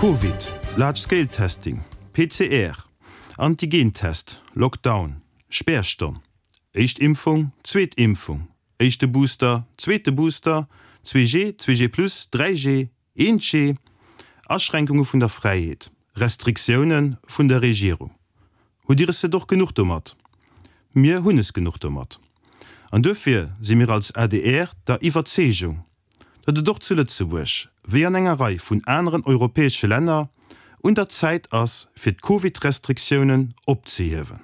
Covid, Large Scale Testing, PCR, Antigentest, Lockdown, Spärstonn, éischt Impfung, zweet Impfung, éischte Booster, zweete Booster, 2G, 2G plus, 3G, 1G, Aschränkunge vun der Fräiheet, Restriktioune vun der Regierung. Hutt Dir es net och genuch domat? Mir hunn es genuch domat. An duerfir si mir als adr der Iwwerzeegung, datt et och zu Lëtzebuerg, wéi an enger Rei vun aneren europäesche Länner, un der Zäit ass, fir d'Covid-Restriktiounen opzehiewen.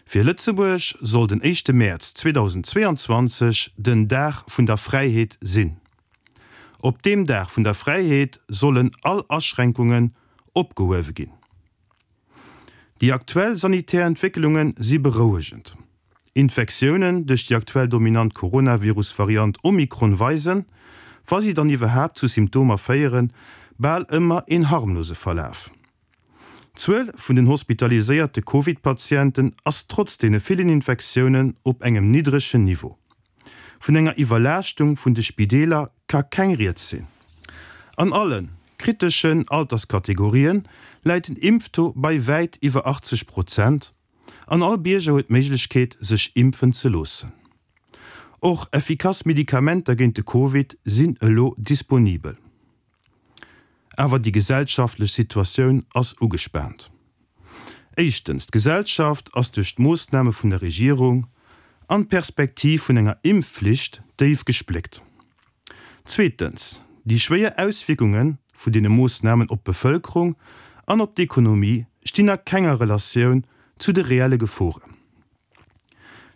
Fir Lëtzebuerg soll den éischte Mäerz 2022 den Dag vun der Fräiheet sinn. Op deem Dag vun der Fräiheet sollen all Aschränkungen opgehuewe ginn. Déi aktuell sanitär Entwécklunge si berouegend. Infektiounen duerch déi aktuell dominant Coronavirus-Variant Omikron weisen, wa si dann iwwerhaapt zu Symptomer féieren, bal ëmmer een harmlose Verlaf. D'Zuel vun den hospitaliséierte Covid-Patienten ass trotz deene villen Infektiounen op engem niddregen Niveau. Vun enger Iwwerlaaschtung vun de Spideeler ka keng Rieds sinn. An alle kriteschen Alterskategorien läit den Impftaux bei wäit iwwer 80 Prozent an all Bierger huet d'Méiglechkeet sech impfen ze loossen. Och effikass Medikamenter géint de Covid sinn elo disponibel. Awer déi gesellschaftlech Situatioun ass ugespaant. Éischtens, d'Gesellschaft ass duerch d'Moossname vun der Regierung an d'Perspektiv vun enger Impfflicht déif gespléckt. Zweetens, déi schwéier Auswierkunge vun deene Moossnamen op d'Bevëlkerung an op d'Ekonomie stinn a kenger Relatioun zu de reelle Geforen.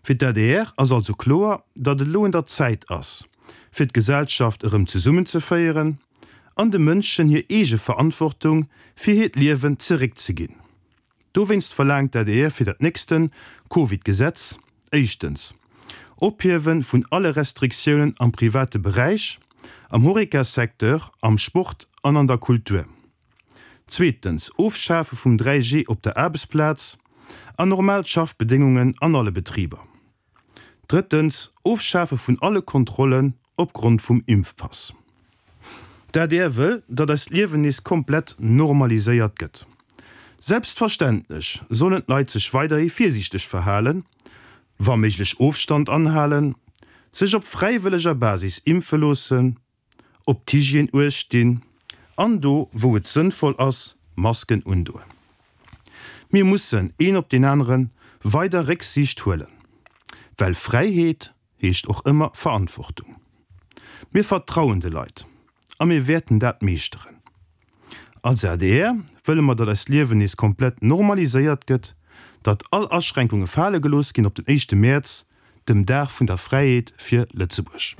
Fir d'ADR ass also kloer, datt et elo un der Zäit ass, fir d'Gesellschaft erëm zesummenzeféieren an de Mënschen hir eege Verantwortung fir hiert Liewen zeréckzeginn. Dowéinst verlaangt d'ADR fir dat nächste Covid-Gesetz, éischtens, Ophiewe vun alle Restriktiounen am private Beräich, am Horeca-Secteur, am Sport an an der Kultur. Zweetens, Ofschafe vum 3G op der Aarbechtsplaz an normal Schaffbedéngungen an alle Betriber. Drëttens, Ofschafe vun alle Kontrollen opgrond vum Impfpass. D'adr wëll, datt eist Liewen nees komplett normaliséiert gëtt. Selbstverständlech sollen d'Leit sech weiderhi virsiichteg verhalen, wa méiglech Ofstand anhalen, sech op fräiwëlleger Basis impfe loossen, op d'Hygiène uecht dinn an do wou et sënnvoll ass, Masken undoen. Mir mussen een op deen anere weider Récksiicht huelen, well Fräiheet heescht och ëmmer Verantwortung. Mir vertrauen de Leit a mir wäerten dat meeschteren. Als adr wëlle mer, datt eist Liewen nees komplett normaliséiert gëtt, datt all Aschränkunge fale gelooss ginn op den éischte Mäerz, dem Dag vun der Fräiheet fir Lëtzebuerg.